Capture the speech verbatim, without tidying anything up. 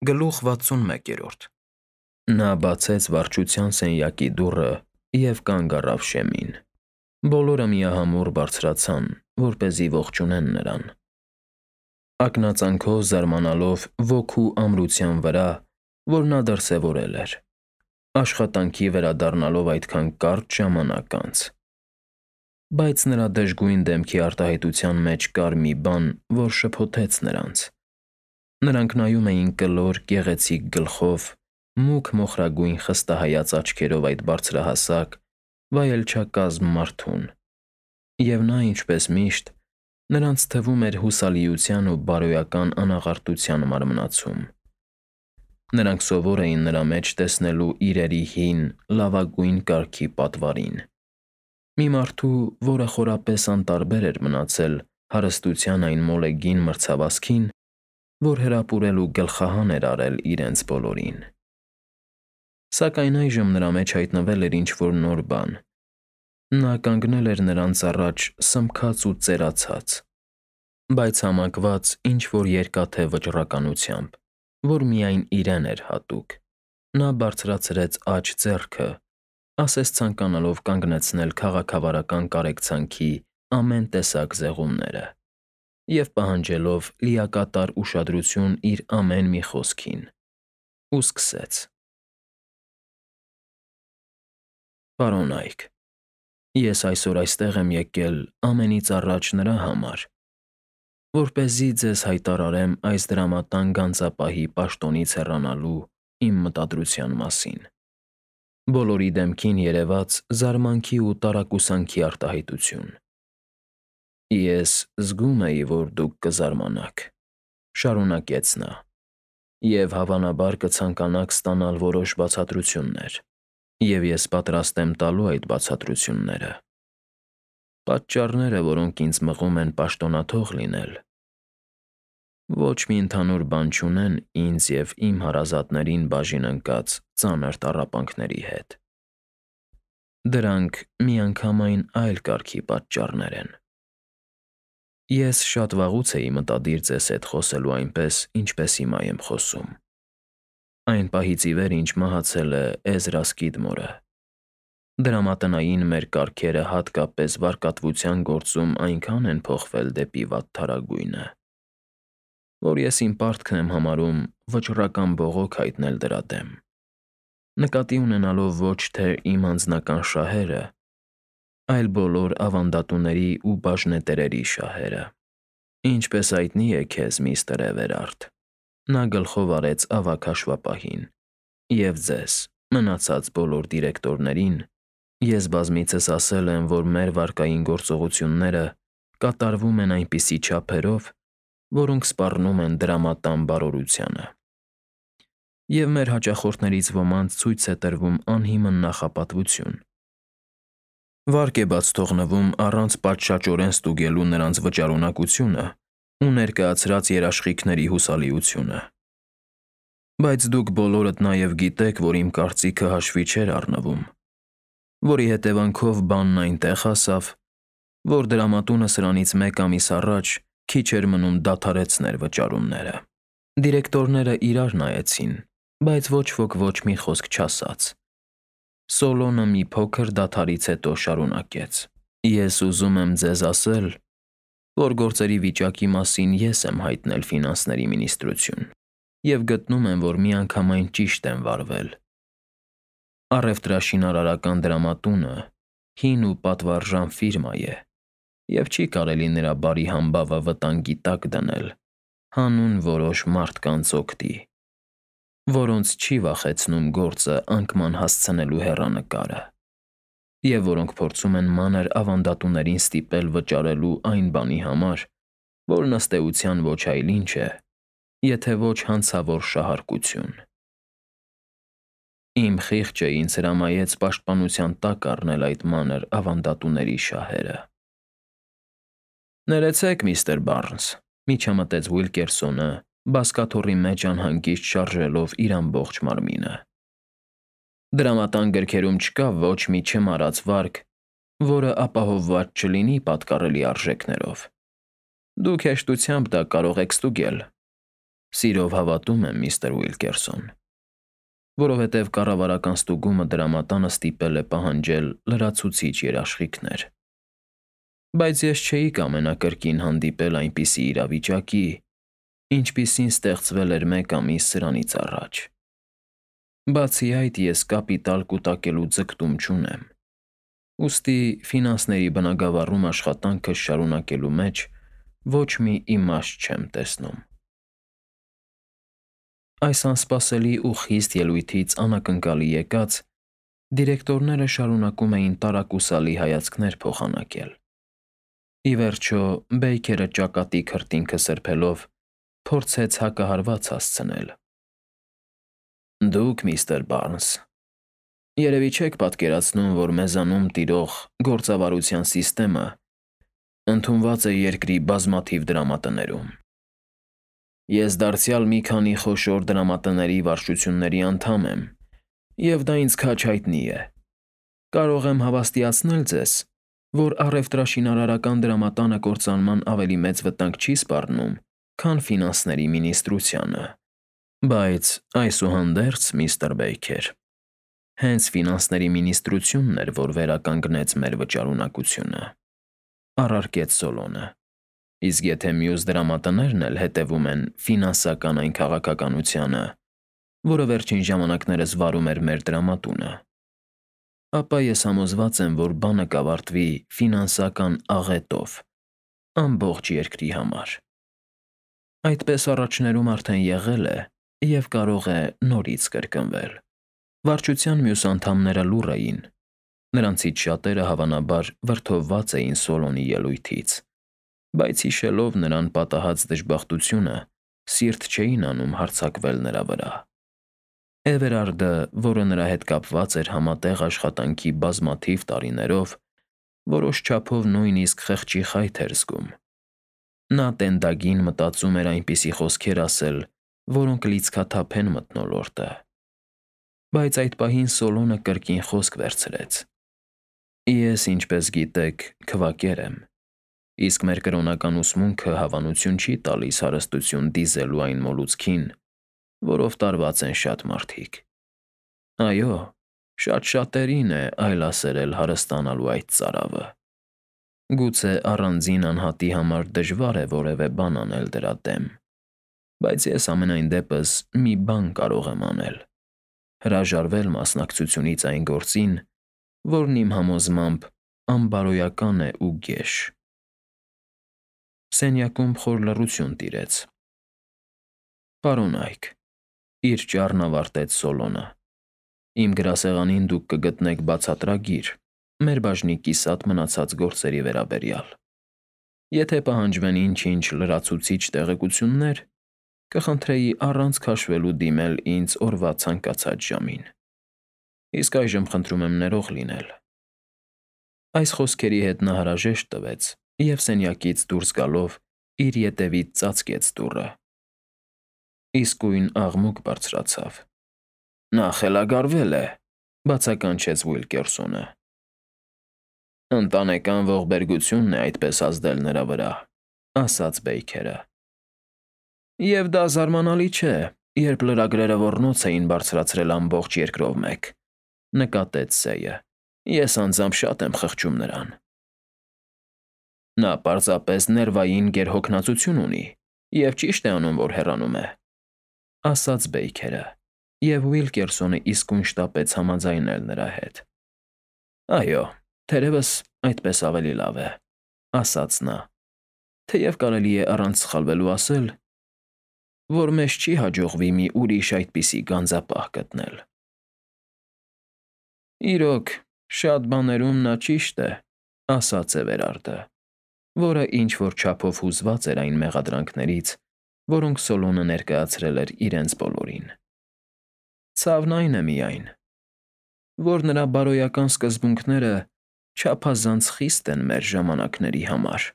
Գլուխ վաթսունմեկ։ Նա բացեց վարչության սենյակի դուռը և կանգ առավ շեմին։ Բոլորը միահամուռ բարձրացան, որպեսզի ողջունեն նրան։ Ակնածանքով զարմանալով ոգու ամրության վրա, որ նա դրսևորել էր, աշխատանքի վերադառնալով այդքան կարճ ժամանակ անց։ Բայց նրա դժգույն դեմքի արտահայտության մեջ կար մի բան, որ շփոթեց նրանց։ Նրանք նայում էին կլոր, գեղեցիկ գլխով, մուգ մոխրագույն խստահայաց աչքերով այդ բարձրահասակ, վայելչակազմ մարդուն, և նա, ինչպես միշտ, նրանց թվում էր հուսալիության ու բարոյական անաղարտության մարմնացում։ Նրանք սովոր էին նրա մեջ տեսնելու իրերի հին, լավագույն կարգի պատվարին։ Մի մարդու, որը խորապես անտարբեր էր մնացել հարստության այն մոլեգին մրցավազքին, որ հրապուրել ու գլխահան էր արել իրենց բոլորին։ Սակայն այժմ նրա մեջ հայտնվել էր ինչ-որ նոր բան։ Նա կանգնել էր նրանց առաջ սմքած ու ծերացած, բայց համակված ինչ-որ երկաթե վճռականությամբ, որ միայն իրեն էր հատուկ։ Նա բարձրացրեց աջ ձեռքը, ասես ցանկանալով կանգնեցնել քաղաքավարական կարեկցանքի ամեն տեսակ զեղումները և պահանջելով լիակատար ուշադրություն իր ամեն մի խոսքին, ու սկսեց. «Պարոնայք, ես այսօր այստեղ եմ եկել ամենից առաջ նրա համար, որպեսզի ձեզ հայտարարեմ այս դրամատան գանձապահի պաշտոնից հեռանալու իմ մտադրության մասին»։ Բոլորի դեմքին երևաց զարմանքի ու տարակուսանքի արտահայտություն։ «Ես զգում էի, որ դուք կզարմանաք», ֊ շարունակեց նա, «և հավանաբար կցանկանաք ստանալ որոշ բացատրություններ, և ես պատրաստ եմ տալու այդ բացատրությունները։ Պատճառները, որոնք ինձ մղում են պաշտոնաթող լինել, ոչ մի ընդհանուր բան չունեն ինձ և իմ հարազատներին բաժին ընկած ծանր տառապանքների հետ։ Դրանք միանգամայն այլ կարգի պատճառներ են։ Ես շատ վաղուց էի մտադիր ձեզ հետ խոսելու այնպես, ինչպես հիմա եմ խոսում։ Այն պահից ի վեր, ինչ մահացել է Էզրա Սկիդմորը, դրամատնային մեր կարգերը հատկապես վարկատվության գործում այնքան են փոխվել դեպի վատթարագույնը, որ ես իմ պարտքն եմ համարում վճռական բողոք հայտնել դրա դեմ, նկատի ունենալով ոչ թե իմ անձնական շահերը, այլ բոլոր ավանդատուների ու բաժնետերերի շահերը։ Ինչպես հայտնի է քեզ, միստր Էվերարդ, նա գլխով արեց ավագ հաշվապահին, և ձեզ, մնացած բոլոր դիրեկտորներին, ես բազմիցս ասել եմ, որ մեր վարկային գործողությունները կատարվում են այնպիսի չափերով, որոնք սպառնում են դրամատան բարօրությանը, և մեր հաճախորդներից ոմանց ցույց է տրվում անհիմն նախապատվություն։ Վարկ է բաց թողնվում առանց պատշաճորեն ստուգելու նրանց վճարունակությունը ու ներկայացրած երաշխիքների հուսալիությունը։ Բայց դուք բոլորդ նաև գիտեք, որ իմ կարծիքը հաշվի չէր առնվում, որի հետևանքով բանն այնտեղ հասավ, որ դրամատունը սրանից մեկ ամիս առաջ քիչ էր մնում դադարեցներ վճարումները։ Դիրեկտորները իրար նայեցին, բայց ոչ ոք ոչ մի խոսք չասաց։ Սոլոնը մի փոքր դադարից հետո շարունակեց. «Ես ուզում եմ ձեզ ասել, որ գործերի վիճակի մասին ես եմ հայտնել ֆինանսների մինիստրություն և գտնում եմ, որ միանգամայն ճիշտ եմ վարվել։ Առևտրաշինարարական դրամատունը հին ու պատվարժան ֆիրմա է, և չի կարելի նրա բարի համբավը վտանգի տակ դնել հանուն որոշ մարդկանց օգտի, որոնց չի վախեցնում գործը անկման հասցնելու հեռանկարը, և որոնք փորձում են մանր ավանդատուներին ստիպել վճարելու այն բանի համար, որն ըստ էության ոչ այլ ինչ է, եթե ոչ հանցավոր շահարկություն։ Իմ խիղճը ինձ հրամայեց պաշտպանության տակ առնել այդ մանր ավանդատուների շահերը»։ «Ներեցեք, միստր Բարնս», ֊ միջամտեց Ուիլկերսոնը, բազկաթոռի մեջ անհանգիստ շարժելով իր ամբողջ մարմինը։ «Դրամատան գրքերում չկա ոչ մի չմարած վարք, որը ապահովված չլինի պատկառելի արժեքներով։ Դուք հեշտությամբ դա կարող եք ստուգել։ Սիրով հավատում եմ, միստր Ուիլկերսոն, որովհետև կառավարական ստուգումը դրամատանը ստիպել է պահանջել լրացուցիչ երաշխիքներ։ Բայց ես չէի կամենա կրկին հանդիպել այնպիսի իրավիճակի, ինչպիսին ստեղծվել էր մեկ ամիս սրանից առաջ։ Բացի այդ, ես կապիտալ կուտակելու ձգտում չունեմ, ուստի ֆինանսների բնագավառում աշխատանքս շարունակելու մեջ ոչ մի իմաստ չեմ տեսնում։ Այս անսպասելի ու խիստ ելույթից անակնկալի եկած, դիրեկտորները շարունակում էին տարակուսալի հայացքներ փոխանակել։ Ի վերջո, Բեյքերը ճակատի քրտինքը սրբելով փորձեց հակահարված հասցնել։ Դուք, միստր Բարնս, երևի չեք պատկերացնում, որ մեզանում տիրող գործավարության սիստեմը ընդունված է երկրի բազմաթիվ դրամատներում։ Ես դարձյալ մի քանի խոշոր դրամատների վարչությունների անդամ եմ, և դա ինձ քաջ հայտնի է։ Կարող եմ հավաստիացնել ձեզ, որ առևտրաշինարարական դրամատանը կործանման ավելի մեծ վտանգ չի սպառնում, քան ֆինանսների մինիստրությանը։ Բայց այսուհանդերձ, միստր Բեյքեր, հենց ֆինանսների մինիստրությունն էր, որ վերականգնեց մեր վճարունակությունը, առարկեց Սոլոնը, իսկ եթե մյուս դրամատներն էլ հետևում են ֆինանսական այն քաղաքականությանը, որը վերջին ժամանակներս վարում էր մեր դրամատունը, ապա ես համոզված եմ, որ բանը կավարտվի ֆինանսական աղետով ամբողջ երկրի համար։ Այդպես առաջներում արդեն եղել է և կարող է նորից կրկնվել։ Վարչության մյուս անդամները լուռ էին, նրանցից շատերը հավանաբար վրդովված էին Սոլոնի ելույթից, բայց հիշելով նրան պատահած դժբախտությունը, սիրտ չէին անում հարձակվել նրա վրա։ Էվերարդը, որը նրա հետ կապված էր համատեղ աշխատանքի բազմաթիվ տարիներով, որոշ չափով նույնիսկ խղճի խայթ էր զգում։ Նա տենդագին մտածում էր այնպիսի խոսքեր ասել, որոնք լիցքաթափեն մթնոլորտը։ Բայց այդ պահին Սոլոնը կրկին խոսք վերցրեց. Ես, ինչպես գիտեք, քվակեր եմ, իսկ մեր կրոնական ուսմունքը հավանություն չի տալիս հարստություն դիզելու այն մոլուցքին, որով տարված են շատ մարդիկ։ Այո, շատ շատերին է այլասերել հարստանալու այդ ծարավը։ Գուցե առանձին անհատի համար դժվար է որևէ բան անել դրա դեմ, բայց ես ամենայն դեպս մի բան կարող եմ անել. հրաժարվել մասնակցությունից այն գործին, որն իմ համոզմամբ անբարոյական է ու գեշ։ Սենյակում խոր լռություն տիրեց։ Պարոնայք, իր ճառն ավարտեց Սոլոնը, իմ գրասեղանին դուք կգտնեք բացատրագիր մեր բաժնի կիսատ մնացած գործերի վերաբերյալ։ Եթե պահանջվեն ինչ-ինչ լրացուցիչ տեղեկություններ, կխնդրեի առանց քաշվելու դիմել ինձ օրվա ցանկացած ժամին։ Իսկ այժմ խնդրում եմ ներող լինել։ Այս խոսքերի հետ նա հրաժեշտ տվեց և սենյակից դուրս գալով իր ետևից ծածկեց դուռը։ Իսկույն աղմուկ բարձրացավ։ Նա խելագարվել է, բացականչեց Ուիլկերսոնը։ Ընտանեկան ողբերգությունն է այդպես ազդել նրա վրա, ասաց Բեյքերը։ Եվ դա զարմանալի չէ, երբ լրագրերը ոռնոց էին բարձրացրել ամբողջ երկրով մեկ, նկատեց Սեյը։ Ես անձամբ շատ եմ խղճում նրան։ Նա պարզապես ներվային գերհոգնածություն ունի և ճիշտ է անում, որ հեռանում է, ասաց Բեյքերը, և Ուիլկերսոնը իսկույն շտապեց համաձայնել նրա հետ։ Այո, թերևս այդպես ավելի լավ է, ասաց նա, թեև կարելի է առանց սխալվելու ասել, որ մեզ չի հաջողվի մի ուրիշ այդպիսի գանձապահ գտնել։ Իրոք, շատ բաներում նա ճիշտ է, ասաց Էվերարդը, որը ինչ-որ չափով հուզված էր այն մեղադրանքներից, որոնք Սոլոնը ներկայացրել էր իրենց բոլորին։ Ցավն այն է միայն, որ նրա բարոյական սկզբունքները չափազանց խիստ են մեր ժամանակների համար։